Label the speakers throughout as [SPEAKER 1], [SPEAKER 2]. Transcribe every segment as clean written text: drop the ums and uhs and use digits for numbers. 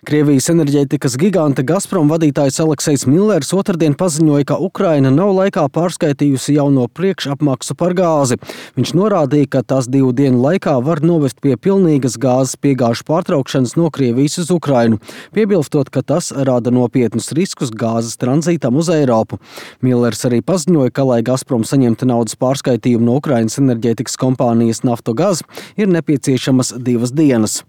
[SPEAKER 1] Krievijas enerģētikas giganta Gazprom vadītājs Aleksejs Millers otrdien paziņoja, ka Ukraina nav laikā pārskaitījusi jauno priekšapmaksu par gāzi. Viņš norādīja, ka tas 2 dienu laikā var novest pie pilnīgas gāzes piegāžu pārtraukšanas no Krievijas uz Ukrainu, piebilstot, ka tas rada nopietnus riskus gāzes tranzītam uz Eiropu. Millers arī paziņoja, ka, lai Gazprom saņemtu naudas pārskaitījumu no Ukrainas enerģētikas kompānijas Naftogaz, ir nepieciešamas 2 dienas.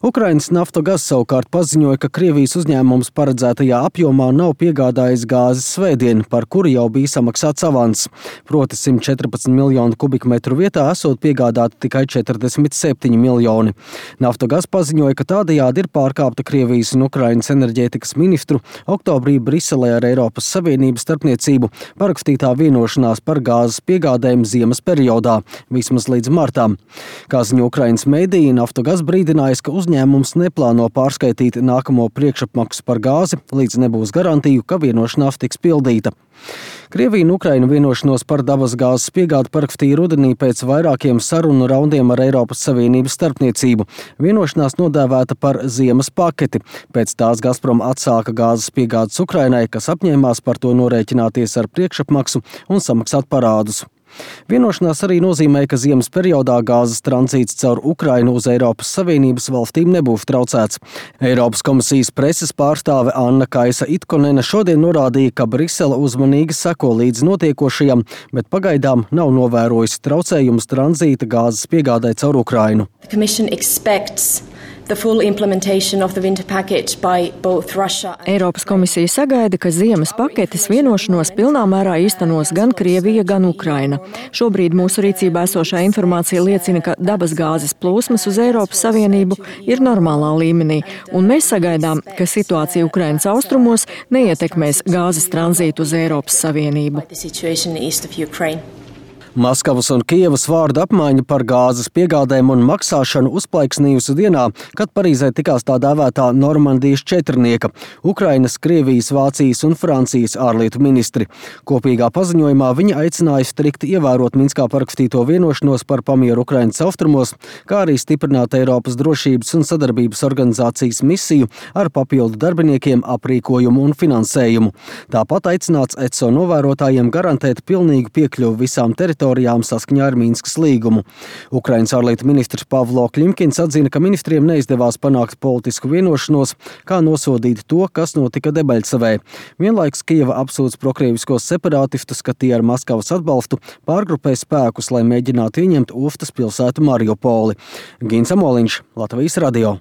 [SPEAKER 1] Ukrainas Naftogaz savukārt paziņoja, ka Krievijas uzņēmums paredzētajā apjomā nav piegādājis gāzes svētdien, par kuru jau bija samaksāts avans. Proti 114 miljonu kubikmetru vietā esot piegādāti tikai 47 miljoni. Naftogaz paziņoja, ka tādējādi ir pārkāpta Krievijas un Ukrainas enerģētikas ministru oktobrī Briselē ar Eiropas Savienības starpniecību parakstītā vienošanās par gāzes piegādēm ziemas periodā, vismaz līdz martām. Kā ziņo Ukrainas mediji, Naftogaz brīdinājis, ka uzņēmums neplāno pārskaitīt nākamo priekšapmaksu par gāzi, līdz nebūs garantiju, ka vienošanās tiks pildīta. Krievija un Ukraina vienošanos par dabas gāzes piegādi parakstīja rudenī pēc vairākiem sarunu raundiem ar Eiropas Savienības starpniecību. Vienošanās nodēvēta par ziemas paketi. Pēc tās Gazprom atsāka gāzes piegādes Ukrainai, kas apņēmās par to norēķināties ar priekšapmaksu un samaksāt parādus. Vienošanās arī nozīmē, ka ziemas periodā gāzes tranzīts caur Ukrainu uz Eiropas Savienības valstīm nebūs traucēts. Eiropas komisijas preses pārstāve Anna Kaisa Itkonene šodien norādīja, ka Brisele uzmanīgi seko līdz notiekošajam, bet pagaidām nav novērojusi traucējumus tranzīta gāzes piegādai caur Ukrainu.
[SPEAKER 2] Eiropas komisija sagaida, ka ziemas paketes vienošanos pilnā mērā īstenos gan Krievija, gan Ukraina. Šobrīd mūsu rīcībā esošā informācija liecina, ka dabas gāzes plūsmas uz Eiropas Savienību ir normālā līmenī, un mēs sagaidām, ka situācija Ukrainas austrumos neietekmēs gāzes tranzītu uz Eiropas Savienību.
[SPEAKER 1] Maskavas un Kijevas vārdu apmaiņa par gāzes piegādēm un maksāšanu uzplaiksnījusi dienā, kad Parīzē tikās tā dēvētā Normandijas četrnieka – Ukrainas, Krievijas, Vācijas un Francijas ārlietu ministri. Kopīgā paziņojumā viņi aicināja strikti ievērot Minskā parakstīto vienošanos par pamieru Ukrainas austrumos, kā arī stiprināt Eiropas drošības un sadarbības organizācijas misiju ar papildu darbiniekiem, aprīkojumu un finansējumu. Tāpat aicināts ECO novērotājiem garantēt pilnīgu piekļuvi visām teritorijām saskaņā ar Minskas līgumu. Ukrainas ārlietu ministrs Pavlo Klimkins atzina, ka ministriem neizdevās panākt politisku vienošanos, kā nosodīt to, kas notika Debaļsavē. Vienlaikus Kijeva apsūdz prokrieviskos separātistus, ka tie ar Maskavas atbalstu pārgrupē spēkus, lai mēģinātu ieņemt Uftas pilsētu Mariupoli. Gins Amoliņš, Latvijas radio.